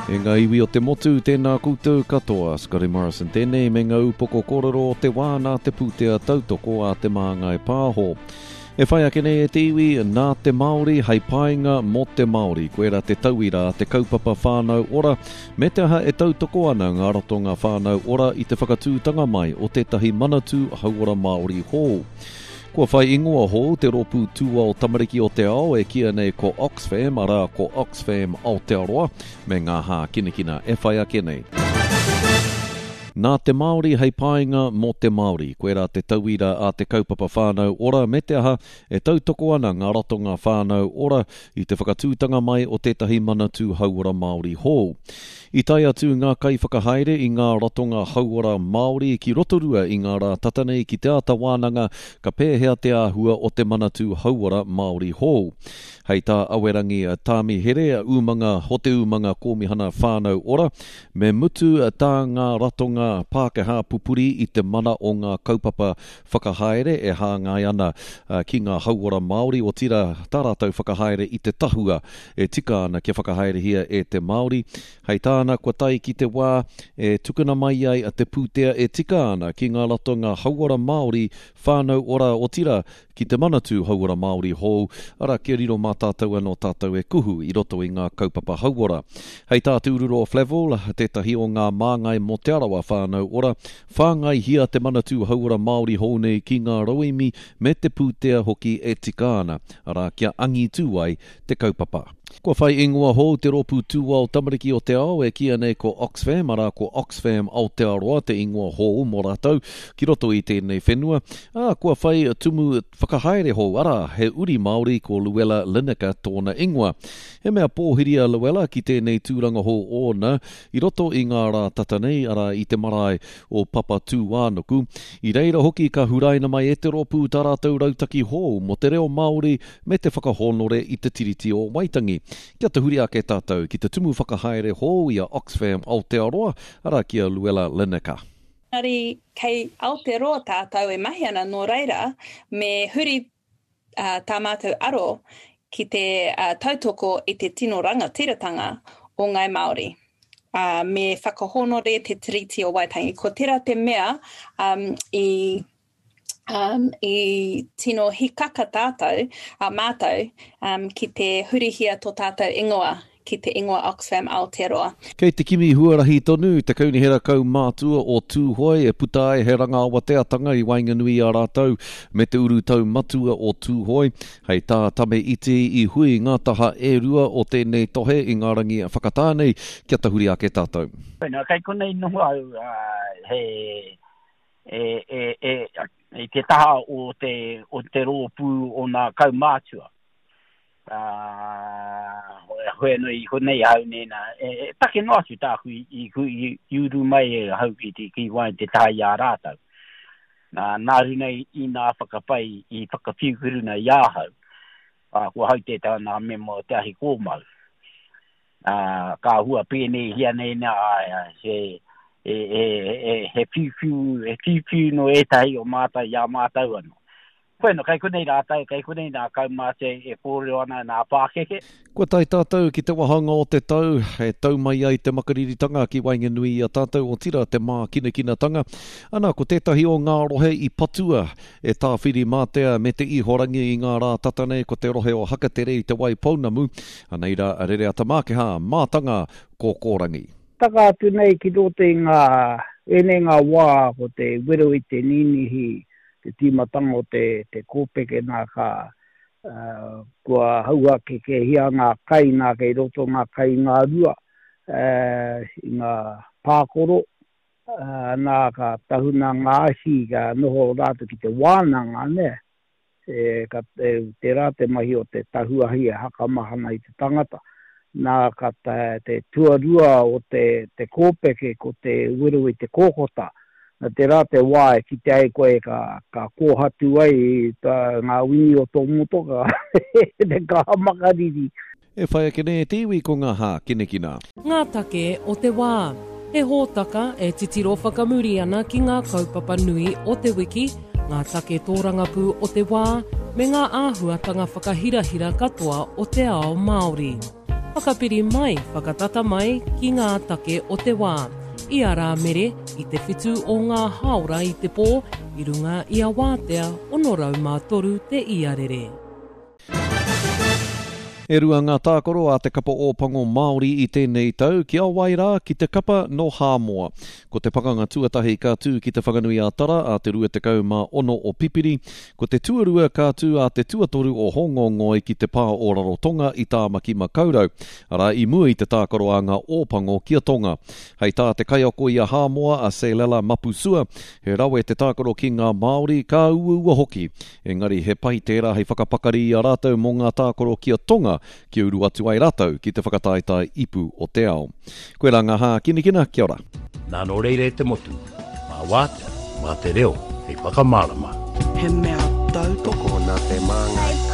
E ngā iwi o te motu, tēnā koutou katoa. Scotty Morrison tēnei me ngā upoko kōrero o te wā nā te pūtea tautoko a Te Māngai Pāho. E whai ake nei e te iwi, nā te Māori hei painga mō te Māori. Koirā te tauira a te kaupapa Whānau Ora, me te aha e tautoko ana ngā ratonga Whānau Ora i te whakatūtanga mai o tētahi Manatū Hauora Māori hou. Kua whai ingoa hou te rōpū tūao tamariki o te ao e kīia nei ko Oxfam, arā, ko Oxfam Aotearoa, me ngā hākinakina e whai ake nei. Nā te Māori hei painga mō te Māori. Koirā te tauira a te kaupapa Whānau Ora me te aha, e tautoko ana ngā ratonga Whānau Ora i te whakatūtanga mai o tētahi Manatū Hauora Māori hou. I tae atu ngā kaiwhakahaere i ngā ratonga hauora Māori ki Rotorua i ngā rā tata nei ki te āta wānanga ka pēhea te āhua o te Manatū Hauora Māori hou. Hei tā Awerangi Tāmihere, umanga o te umanga Kōmihana Whānau Ora, me mutu tā ngā ratonga Pākehā pupuri i te mana o ngā kaupapa whakahaere e hāngai ana ki ngā hauora Māori, otirā tā rātou whakahaere i te tahua e tika ana kia whakahaerehia e te Māori. Hei tāna, kua tae ki te wā e tukuna mai ai te pūtea e tika ana ki ngā ratonga hauora Māori, whānau ora, otirā, ki te Manatū Hauora Māori hou, arā, kia riro mā tātou anō tātou e kuhu i roto i ngā kaupapa hauora. Hei tā Te Ururoa Flavell, tētahi o ngā māngai mō Te Arawa Whānau Ora, Whāngaihia te Manatū Hauora Māori hou nei ki ngā rauemi me te pūtea hoki e tika ana, arā, kia angitū ai te kaupapa. Kua whai ingoa hou te rōpū tūao tamariki o te ao e kīia nei ko Oxfam, arā, ko Oxfam Aotearoa te ingoa hou mō rātou ki roto i tēnei whenua, ā, kua whai tumu whakahaere hou, arā, he uri Māori ko Luella Lineker tōna ingoa. He mea pōhiri a Luella ki tēnei tūranga hou ōna I roto i ngā rā tata nei, arā, i te marae o Papatūānuku, i reira hoki ka huraina mai e te rōpū tā rātou rautaki hou mō te reo Māori me te whakahōnore i te Tiriti o Waitangi. Kia tahuri ake tātou ki te tumu whakahaere hou i a Oxfam Aotearoa, arā, ki a Luella Lineker. Engari kei Aotearoa tātou e mahi ana, nō reira, me huri tā mātou aro ki te tautoko i te tino rangatiratanga o Ngāi Māori, ā, me whakahōnore te Tiriti o Waitangi. Ko tērā te mea i, i tino hikaka tātou, a mātou, ki te hurihia tō tātou ingoa ki te ingoa Oxfam Aotearoa. Kei te kimi huarahi tonu te Kaunihera Kaumātua o Tūhoe e puta ai he rangaawateatanga i waenganui i a rātou me te urutau matua o Tūhoe. Hei tā Tame Iti i hui ngā taha e rua o tēnei tohe i ngā rangi whakatā nei kia tahuri ake tātou. Wena, kei konei noho au, he, e, e, e, i te taha o te, o te rōpū o nā kaumātua. Ā, hoi anō i konei ahau nēnā, e, e take noa atu tāku i, i, i, i uru mai e ahau ki, ki, ki waenga te taha i a rātou. Nā, nā runa i, i nā whakapai i whakawhiuwhiruna i ahau, ā, ko ahau tētahi o nā mema o te ahi kōmau. Ā, ka hua pēneihia nei nā, ā, he, e, e, e, he whiuwhiu, he whiuwhiu no ētahi o mātou i a mātou anō. Bueno, kei konei rātou, kei konei nā kaumātua e kōrero ana nā pākeke. Kua tae tātou ki te wāhanga o te tau e tau mai ai te makariritanga ki waenganui i a tātou, otirā te mākinakinatanga. Ana, ko tētahi o ngā rohe i patua e Tāwhirimātea me Te Ihorangi i ngā rā tata nei ko te rohe o Hakatere i Te Waipounamu. Anei rā a Rereata Mākehā, mātanga kōkōrangi. Taka atu nei ki roto i ngā, ēnei ngā wā ko te wero i te ninihi te tīmatanga o te, te kōpeke nā ka, kua hauhakekehia ngā kai nā kei roto ngā kai i ngā rua, i ngā pākoro, nā ka tahuna ngā ahi ka noho rātou ki te wānanga, nē. E, ka, e, tērā te mahi o te tahu ahi e hakamahana i te tangata. Nā, ka te, te tuarua o te, te kōpeke ko te wero i te kōkota. Nā, tērā te wā e kite ai koe ka, ka kōhatu ai tā, ngā wini o tō motoka, te kaha makariri. E whai ake nei e te iwi ko ngā hākinakina. Ngā take o te wā. He hōtaka e titiro whakamuri ana ki ngā kaupapa nui o te wiki, ngā take tōrangapū o te wā, me ngā āhuatanga whakahirahira katoa o te ao Māori. Whakapiri mai, whakatata mai ki ngā take o te wā. I a Rāmere, i te whitu o ngā hāora i te pō, i runga i a Wātea 603 te iarere. E rua ngā tākaro a te kapa Ōpango Māori i tēnei tau, ki a wai rā, ki te kapa nō Hāmoa. Ko te pakanga tuatahi ka tū ki Te Whanganui-a-Tara ā te 26 o Pipiri, ko te tuarua ka tū ā te tuatoru o Hōngongoi ki te pā o Rarotonga i Tāmaki-makau-rau, arā i mua i te tākaro a ngā Ōpango ki a Tonga. Hei tā te kaiako i a Hāmoa a Selela Mapusua, he rawe te tākaro ki ngā Māori, ka uaua hoki. Engari he pai tērā hei whakapakari i a rātou mō ngā tākaro ki a Tonga kia uru atu ai rātou ki te whakataetae ipu o te ao. Koirā ngā hākinakina, kia ora. Nā nō reira e te motu, mā Wātea, mā te reo hei whakamārama. He mea tautoko nā Te Māngai.